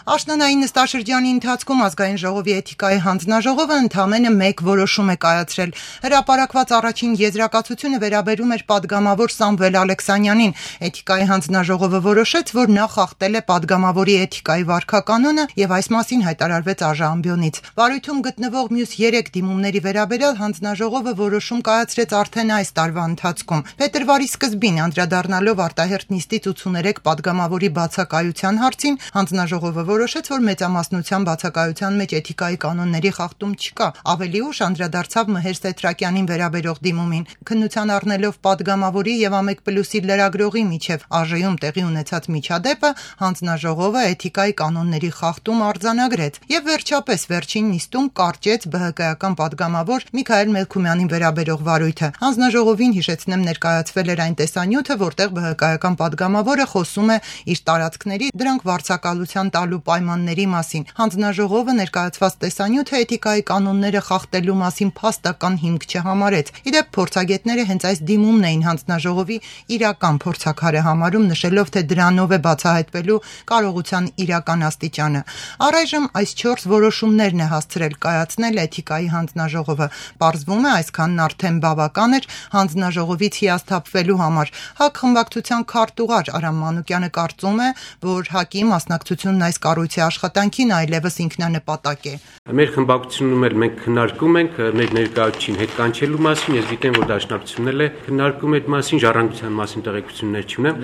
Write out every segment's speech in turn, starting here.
Աշնանային նստաշրջանի ընթացքում ազգային ժողովի էթիկայի հանձնաժողովը ընդամենը մեկ որոշում է կայացրել։ Հրապարակված առաջին եզրակացությունը վերաբերում էր պատգամավոր Սամվել Ալեքսանյանին։ Էթիկայի հանձնաժողովը որոշեց, որ նա խախտել է պատգամավորի էթիկայի վարքականոնը եւ այս մասին հայտարարվեց ԱԺ-ամբիոնից։ Վարույթում գտնվող մյուս 3 դիմումների վերաբերյալ հանձնաժողովը որոշում կայացրեց արդեն այս տարվա ընթացքում։ Փետրվարի սկզբին անդրադառնալով արտահերթ նիստից 83 պատգամավորի բացակայության հարցին, հանձնաժողովը որոշեց, որ մեծամասնության բացակայության մեջ էթիկայի կանոնների խախտում չկա։ Ավելի ուշ անդրադարձավ Մհեր Սեթրակյանին վերաբերող դիմումին։ Քննության առնելով պատգամավորի եւ ԱՄԵԿ+-ի լրագրողի միջև ԱԺ-ում տեղի ունեցած միջադեպը, հանձնաժողովը էթիկայի կանոնների խախտում արձանագրեց եւ վերջապես վերջին նիստում կարճեց ԲՀԿ-ական պատգամավոր Միքայել Մելքումյանին վերաբերող վարույթը։ Հանձնաժողովին հիշեցնեմ ներկայացվել էր այն տեսանյութը, որտեղ ԲՀԿ-ական պատգամավորը խոսում է իր տարածքների դրանք վարձակալության տալու պայմանների մասին։ Հանձնաժողովը ներկայացված տեսանյութը էթիկայի կանոնները խախտելու մասին փաստական հիմք չհամարեց։ Իդեպ փորձագետները հենց այս դիմումն էին հանձնաժողովի իրական փորձաքարը համարում, նշելով, թե դրանով է բացահայտվելու կարողության իրական աստիճանը։ Առայժմ այս 4 որոշումներն է հասցրել կայացնել էթիկայի հանձնաժողովը։ Պարզվում է, այսքանն արդեն բավական էր հանձնաժողովից հիասթափվելու համար։ ՀԱԿ խմբակցության քարտուղար Արամ Մանուկյանը կարծում է, որ ՀԱԿ-ի մասնակցությունն այս կառույցի աշխատանքին այլևս ինքնանպատակ է։ Մեր խմբակցությունում էլ մենք քննարկում ենք մեր ներկայացուցիչին հետ կանչելու մասին, ես գիտեմ, որ դաշնակցությունն էլ է քննարկում այդ մասին, ժառանգության մասին տեղեկություններ չունեմ,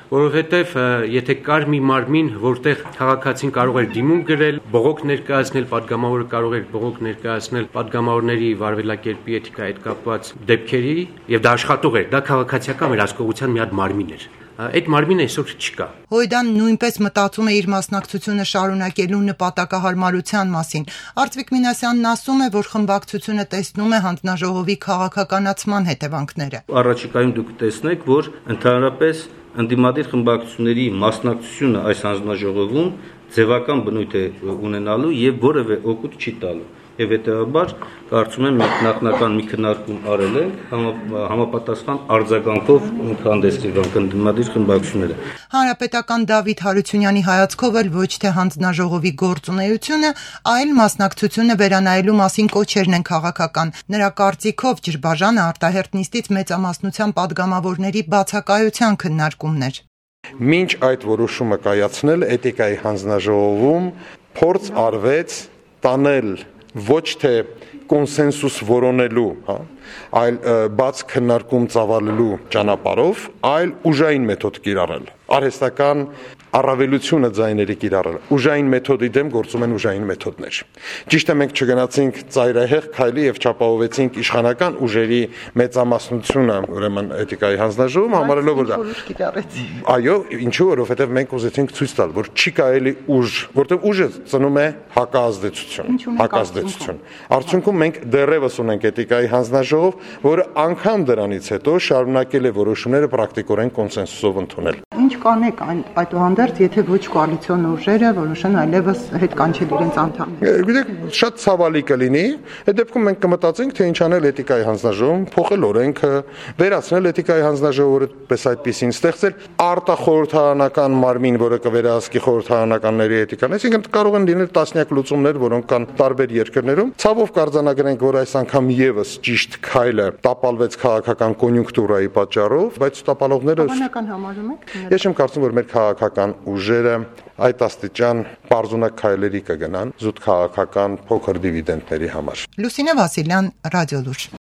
որովհետև եթե կար մի մարմին, որտեղ քաղաքացին կարող էր դիմում գրել, բողոք ներկայացնել, պատգամավորը կարող էր բողոք ներկայացնել պատգամավորների վարվելակերպի էթիկայի հետ կապված դեպքերի, եւ դա աշխատող էր, դա քաղաքացիական վերահսկողության մի հատ մարմին էր։ Այդ մարմինը այսօր չկա։ Հույդան նույնպես մտածում է իր մասնակցությունը շարունակելու նպատակահարմարության մասին։ Արծվիկ Մինասյանն ասում է, որ խմբակցությունը տեսնում է հանձնաժողովի քաղաքականացման հետևանքները։ Առաջիկայում դուք տեսնեք, որ ընդհանրապես ընդդիմադիր խմբակցությունների մասնակցությունը այս հանձնաժողովում ձևական բնույթ է ունենալու եւ որևէ օգուտ չի տալու։ Եվ հետեւաբար կարծում եմ մենք նախնական մի քննարկում արել ենք համապատասխան արձագանքով հանդես եկան ընդդիմադիր խմբակցությունները։ Հանրապետական Դավիթ Հարությունյանի հայացքով էլ ոչ թե հանձնաժողովի գործունեությունը, այլ մասնակցությունը վերանայելու մասին կոչերն են քաղաքական։ Նրա կարծիքով ջրբաժանը արտահերթ նիստից մեծամասնության պատգամավորների բացակայության քննարկումն էր։ Մինչ այդ որոշումը կայացնել էթիկայի հանձնաժողովում փորձ արվեց տանել ոչ թե կոնսենսուս որոնելու, այլ բաց քննարկում ծավալելու ճանապարհով, այլ ուժային մեթոդ կիրառել։ Արհեստական առավելությունը ձայների կիրառել։ Ուժային մեթոդի դեմ գործում են ուժային մեթոդներ։ Ճիշտ է, մենք չգնացինք ծայրահեղ քայլի եւ չապահովեցինք իշխանական ուժերի մեծամասնությունը, ուրեմն էթիկայի հանձնաժողովում համարելով որ դա։ Այո, ինչու, որովհետեւ մենք ուզեցինք ցույց տալ, որ չի կարելի ուժ, որտեղ ուժը ծնում է հակազդեցություն։ Արդյունքում մենք դեռևս ունենք էթիկայի հանձնաժողով, որը անգամ դրանից հետո շարունակել է որոշումները պրակտիկորեն կոնսենսուսով ընդունել։ Ինչ կանեք այդուհանդերձ, եթե ոչ կոալիցիոն ուժերը որոշեն այլևս հետ կանչել իրենց անդամները։ Գիտեք, շատ ցավալի կլինի, այդ դեպքում մենք կմտածենք, թե ինչ անել էթիկայի հանձնաժողովում, փոխել օրենքը, վերացնել էթիկայի հանձնաժողովը պես այդպեսին, ստեղծել արտախորհրդարանական մարմին, որը կվերահսկի խորհրդարանականների էթիկան։ Այսինքն կարող են լինել տասնյակ լուծումներ, որոնք կան տարբեր երկրներում։ Ցավով կարձանագրենք, որ այս անգամ եւս ճիշտ քայլը տապալվեց քաղաքական կոնյունկտուրայի պատճառով, բայց տապալողները Բավական համարում եք։ Ես չեմ կարծում, որ մեր քաղաքական ուժերը այդ աստիճան պարզունակ քայլերի կգնան զուտ քաղաքական փոքր դիվիդենդների համար։ Լուսինե Վասիլյան, Ռադիոլուր։